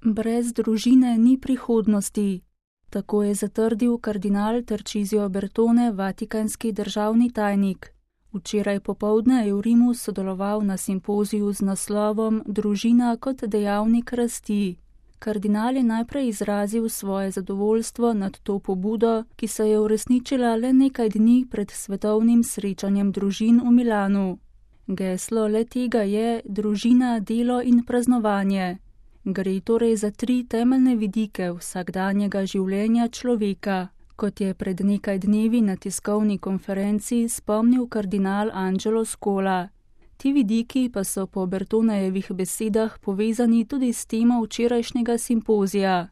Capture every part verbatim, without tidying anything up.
Brez družine ni prihodnosti. Tako je zatrdil kardinal Tarcisio Bertone, vatikanski državni tajnik. Včeraj popoldne je v Rimu sodeloval na simpoziju z naslovom Družina kot dejavnik rasti. Kardinal je najprej izrazil svoje zadovoljstvo nad to pobudo, ki se je uresničila le nekaj dni pred svetovnim srečanjem družin v Milanu. Geslo le tega je družina, delo in praznovanje. Gre torej za tri temeljne vidike vsakdanjega življenja človeka, kot je pred nekaj dnevi na tiskovni konferenci spomnil kardinal Angelo Scola. Ti vidiki pa so po Bertonejevih besedah povezani tudi s temo včerajšnjega simpozija.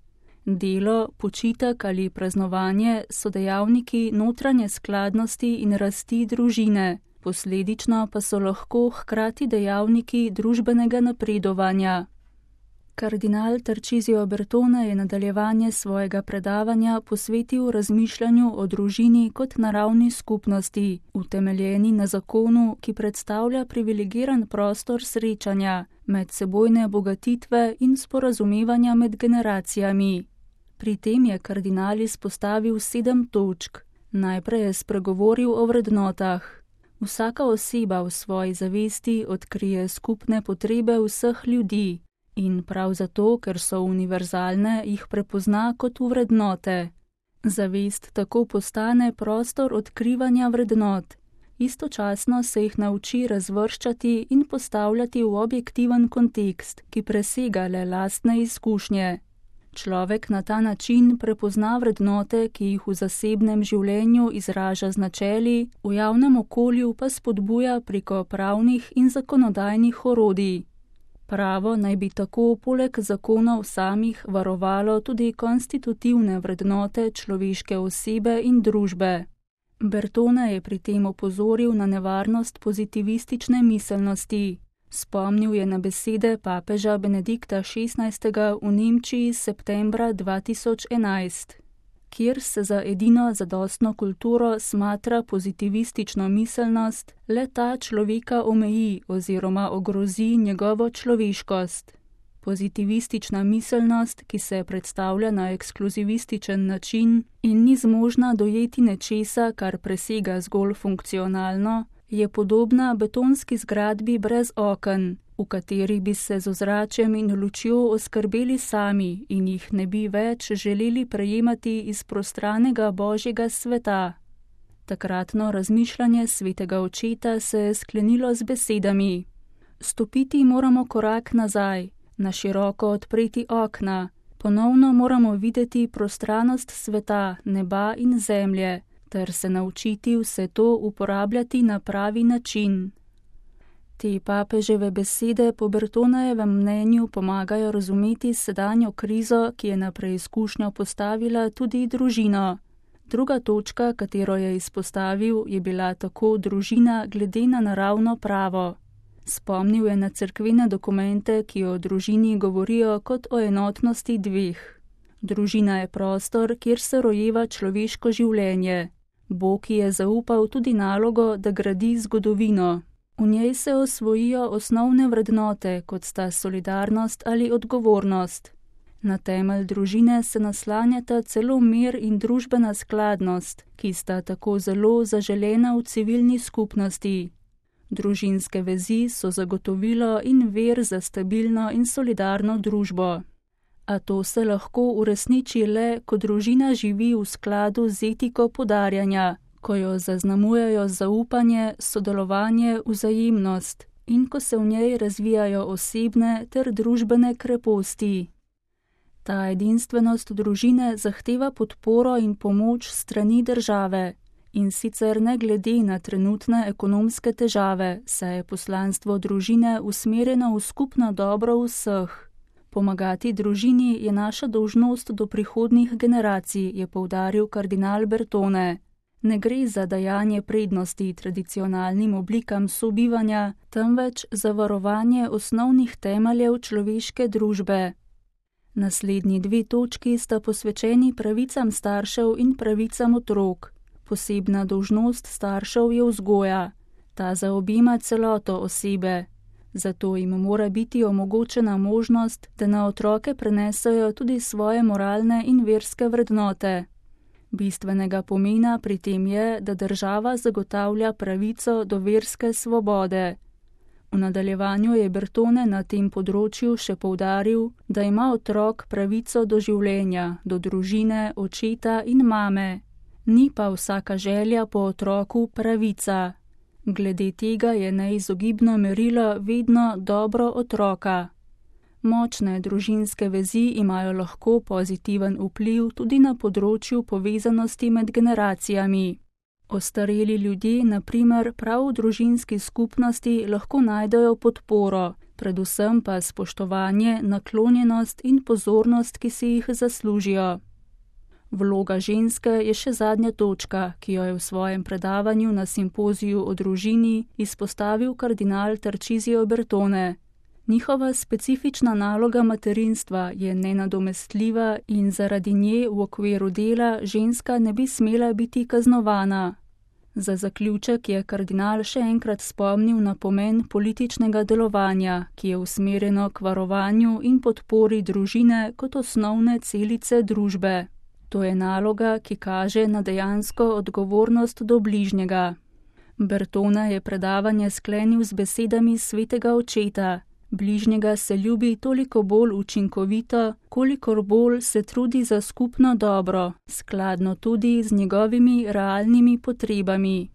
Delo, počitek ali praznovanje so dejavniki notranje skladnosti in rasti družine, posledično pa so lahko hkrati dejavniki družbenega napredovanja. Kardinal Tarcisio Bertone je nadaljevanje svojega predavanja posvetil razmišljanju o družini kot naravni skupnosti, utemeljeni na zakonu, ki predstavlja privilegiran prostor srečanja, medsebojne bogatitve in sporazumevanja med generacijami. Pri tem je kardinal izpostavil sedem točk. Najprej je spregovoril o vrednotah. Vsaka oseba v svoji zavesti odkrije skupne potrebe vseh ljudi. In prav zato, ker so univerzalne, jih prepozna kot vrednote. Zavest tako postane prostor odkrivanja vrednot. Istočasno se jih nauči razvrščati in postavljati v objektiven kontekst, ki presega le lastne izkušnje. Človek na ta način prepozna vrednote, ki jih v zasebnem življenju izraža z načeli, v javnem okolju pa spodbuja preko pravnih in zakonodajnih orodij. Pravo naj bi tako poleg zakonov samih varovalo tudi konstitutivne vrednote človeške osebe in družbe. Bertone je pri tem opozoril na nevarnost pozitivistične miselnosti. Spomnil je na besede papeža Benedikta šestnajstega v Nemčiji septembra dva tisoč enajst. Kjer se za edino zadostno kulturo smatra pozitivistično miselnost, le ta človeka omeji oziroma ogrozi njegovo človeškost. Pozitivistična miselnost, ki se predstavlja na ekskluzivističen način in ni zmožna dojeti nečesa, kar presega zgolj funkcionalno, je podobna betonski zgradbi brez oken, v kateri bi se z ozračjem in lučjo oskrbeli sami in jih ne bi več želeli prejemati iz prostranega božjega sveta. Takratno razmišljanje svetega očeta se je sklenilo z besedami: Stopiti moramo korak nazaj, na široko odpreti okna, ponovno moramo videti prostranost sveta, neba in zemlje, ter se naučiti vse to uporabljati na pravi način. Te papeževe besede po Bertonejevem mnenju pomagajo razumeti sedanjo krizo, ki je na preizkušnjo postavila tudi družino. Druga točka, katero je izpostavil, je bila tako družina glede na naravno pravo. Spomnil je na cerkvene dokumente, ki o družini govorijo kot o enotnosti dveh. Družina je prostor, kjer se rojeva človeško življenje. Bog je zaupal tudi nalogo, da gradi zgodovino. V njej se osvojijo osnovne vrednote, kot sta solidarnost ali odgovornost. Na temelj družine se naslanjata celo mir in družbena skladnost, ki sta tako zelo zaželena v civilni skupnosti. Družinske vezi so zagotovilo in ver za stabilno in solidarno družbo. A to se lahko uresniči le, ko družina živi v skladu z etiko podarjanja, ko jo zaznamujejo zaupanje, sodelovanje, vzajemnost in ko se v njej razvijajo osebne ter družbene kreposti. Ta edinstvenost družine zahteva podporo in pomoč strani države, in sicer ne glede na trenutne ekonomske težave, saj je poslanstvo družine usmerjeno v skupno dobro vseh. Pomagati družini je naša dolžnost do prihodnjih generacij, je poudaril kardinal Bertone. Ne gre za dajanje prednosti tradicionalnim oblikam sobivanja, temveč za varovanje osnovnih temeljev človeške družbe. Naslednji dve točki sta posvečeni pravicam staršev in pravicam otrok. Posebna dolžnost staršev je vzgoja. Ta zaobjema celoto osebe. Zato jim mora biti omogočena možnost, da na otroke prenesejo tudi svoje moralne in verske vrednote. Bistvenega pomena pri tem je, da država zagotavlja pravico do verske svobode. V nadaljevanju je Bertone na tem področju še poudaril, da ima otrok pravico do življenja, do družine, očeta in mame. Ni pa vsaka želja po otroku pravica. Glede tega je neizogibno merilo vedno dobro otroka. Močne družinske vezi imajo lahko pozitiven vpliv tudi na področju povezanosti med generacijami. Ostareli ljudje, na primer, prav v družinski skupnosti lahko najdejo podporo, predvsem pa spoštovanje, naklonjenost in pozornost, ki si jih zaslužijo. Vloga ženske je še zadnja točka, ki jo je v svojem predavanju na simpoziju o družini izpostavil kardinal Tarcisio Bertone. Njihova specifična naloga materinstva je nenadomestljiva in zaradi nje v okviru dela ženska ne bi smela biti kaznovana. Za zaključek je kardinal še enkrat spomnil na pomen političnega delovanja, ki je usmerjeno k varovanju in podpori družine kot osnovne celice družbe. To je naloga, ki kaže na dejansko odgovornost do bližnjega. Bertone je predavanje sklenil z besedami svetega očeta: bližnjega se ljubi toliko bolj učinkovito, kolikor bolj se trudi za skupno dobro, skladno tudi z njegovimi realnimi potrebami.